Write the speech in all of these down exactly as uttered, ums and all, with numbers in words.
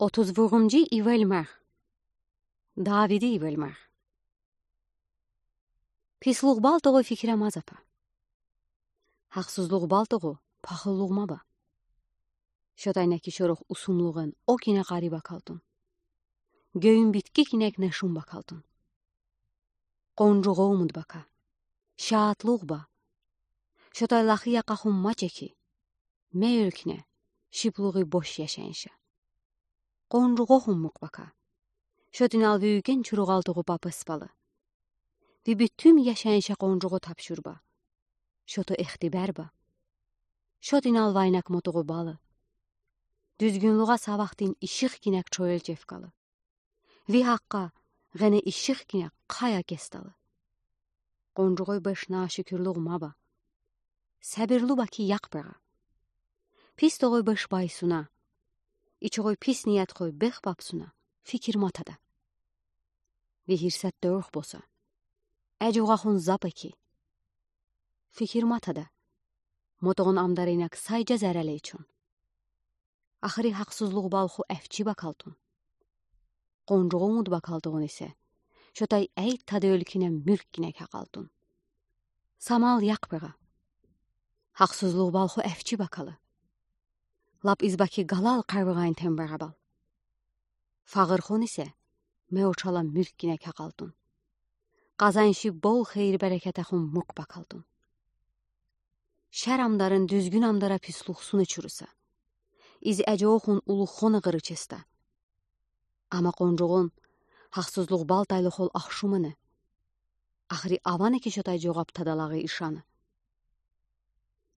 Otuz vurumcu ivelmer. Davidi ivelmer. Pislukbal toqoy fikire mazapa. Haqsızlukbal toqo paxılluk maba. Şotaynaki şorox usumluğun o kine qari bakaldın. Göyün bitki kinek neşun bakaldın. Qoncuğu umut baka. Şaatluq ba. Şotay laqı yaqaxun maçe ki. Me ölküne, şipluğu boş yaşayınşa. Qoncuğu xunmuq baka. Şotinal vüygen çuruğal toqu papıspalı. Ve bütün yaşayınşa qoncuğu tapşurba. Şoto ehtiber ba. Şotinal vaynak motoğu balı. Düzgünluğa savaqtin işıq kinek çoyel cefkalı. Ve haqqa, ğene işıq kinek qaya kestalı. Qoncuğoy beş naşükürlük maba. Səbirlu baki yaq bıra. Pis toqoy beş baysuna. İçoğoy pis niyat qoy bex papsuna. Fikir matada. Ve hirsat dörx bosa. Əcoğaxun zap eki. Fikir matada. Motoğun amdarınak sayca zərəle içun. Axırı haqsızlıq balxu əfçi bakaldın. Qoncuğu umut bakaldığın ise. Şotay əyt tadı ölküne mülk kinek haqaldın. Samal yaq bıra. Haqsızlıq balxu əfçi bakalı. Lap izbaki qalal qarvığayn tembarabal. Fağırxon ise me oçala mülk kinek haqaldın. Qazanşi bol xeyir-bərəkətəxun murk bakaldın. Şər amdarın düzgün amdara pisluqsını çurısa. İz əcoxun uluxon ığırı çesta. Ama qoncuğun haqsızlıq bal taylıxol axşumını. Axırı avanı ki şotay coğab tadalağı işanı.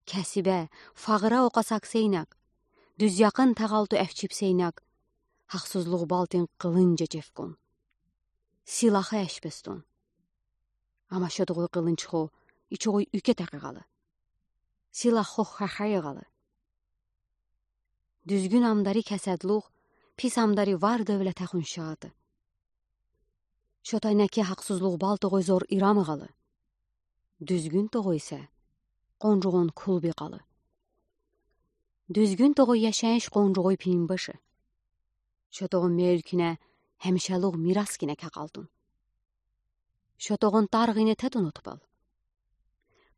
Kəsibə, fağıra oqa sakseynak, düz yaqın tağaltu əfçipseynak, haqsızlıq baltin qılınca cefkon. Silahı əşbeston. Ama şotoğoy qılınçxo, içoğoy üke təqıqalı. Silahxo xəxə yığalı. Düzgün amdari kəsədluq, pis amdari var dövlətəxun şaatı. Şotaynəki haqsızlıq bal toğoy zor iramığalı. Düzgün toğoy isə qoncuğun kulbi qalı. Düzgün toğoy yaşayış qoncuğoy pinbəşi. Şotoğun me ölkünə həmişəluq miras kinə kəqaldın. Şotoğun tarğine tətın otbal.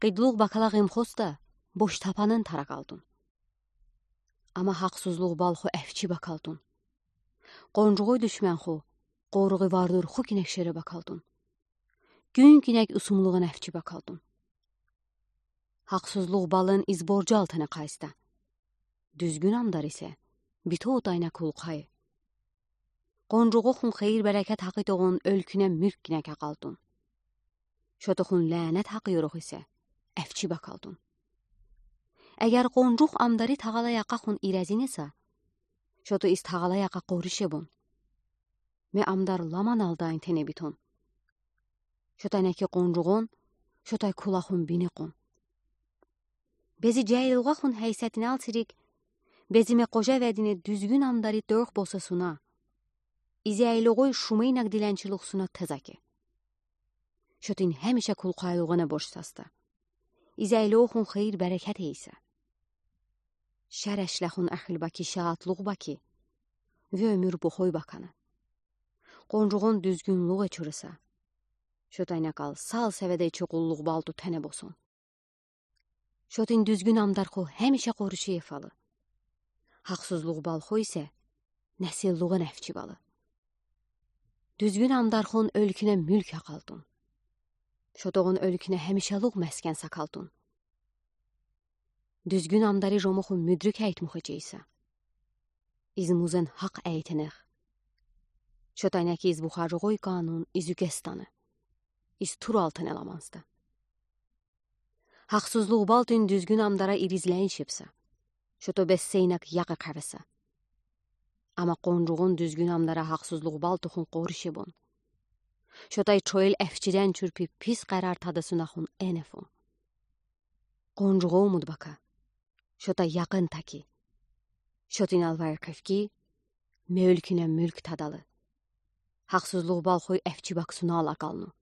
Qidluq bakala ğemxosta boş tapanın taraqaldın. Ama haqsızlıq balxu əfçi bakaldın. Qoncuğoy düşmənxu qoruğı vardır xu kinək şerə bakaldın. Gün kinək usumluğun əfçi bakaldın. Haqsızlıq balın iz borcu altına qaysta. Düzgün amdar isə bito otayna kulqay. Qoncuğuxun xeyir-bərəkət haqitoğun ölkünə mülk kinə kəqaldın. Şotoxun lənət haqı yorox isə əfçi bakaldın. Əgər qoncuğ amdari tağala yaqaxun irəzin isə, şoto iz tağala yaqa qorişebon. Me amdar laman aldayn tənəbiton. Şotaynəki qoncuğon, şotay kulaxun bineqon. Bezi cəiloğaxun həysətini alsirik, bezi me qoca vədini düzgün amdari dörx bosasuna. İzəyloğoy şumeynak dilənçiluqsuna təzaki. Şotin həmişə kulqayluğunə borc sasta. İzəyloğun xeyir-bərəkət eysə. Şər əşləxun əxil baki, şaatluq baki. Ve ömür boxoy bakanı. Qoncuğun düzgünluq eçurısa. Şotaynəkal sal səvədə içi qulluq baltu tənəbosun. Şotin düzgün amdarxu həmişə qoruşu efalı. Haqsızlıq balxu isə nəsilluğun əfçi balı. Düzgün amdarxun ölkünə mülk haqaldın. Şotoğun ölkünə həmişəluq məskən sakaldın. Düzgün amdari jomuxu müdrik əytmuxu çeysə. İz muzın haq əytenex. Şotaynəki iz buxacoğoy qanun iz ükestanı. İz tur altın elamansta. Haqsızlıq baltin düzgün amdara irizləyin şepsə. Şoto besseynak yaqı qavəsə. Ama qoncuğun düzgün amdara haqsızlıq baltuxun qorişebon. Şotay çoyel əfçidən çürpi pis qərar tadısınaxun enefon. Qoncuğu umut baka. Şotay yaqın taki. Şotin alvar qefki, me ölkünə mülk tadalı. Haqsızlıq balxoy əfçi baksuna alaqalnu.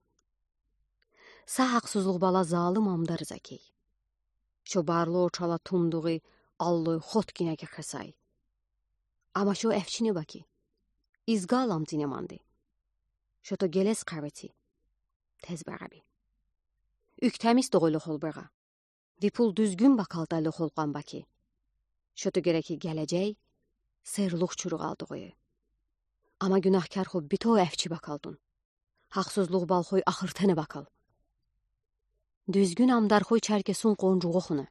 Sa haqsızlıq bala zalım amdarız akey. Şo barlı oçala tumduğı alloy xot kinə kəxesay. Ama şo əfçi ne baki. Изга аламдине манди. Шото гелез къавеци. Тез бегъаби. Уьктемис дугъуйлу холбегъа. Випул дуьзгюн бакалтайлы холкъан баки. Шото гереки гележей, серлух чуругъал дугъуй. Ама гюнахкар ху битов эвчи бакалтун. Гьахсузлух балхой ахыртене бакал. Дуьзгюн амдархой чаркесун къонжугъу хуна.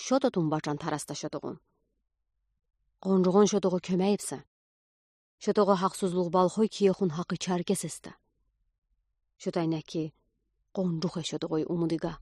Шото тумбачан тараста шотогъун. Къонжугъун шотогъу кёмейипса. Шотогъу гьахсузлух балхой киехун гьакъы чаркес эста. Шотайнеки къонжух э шотогъуй умудига.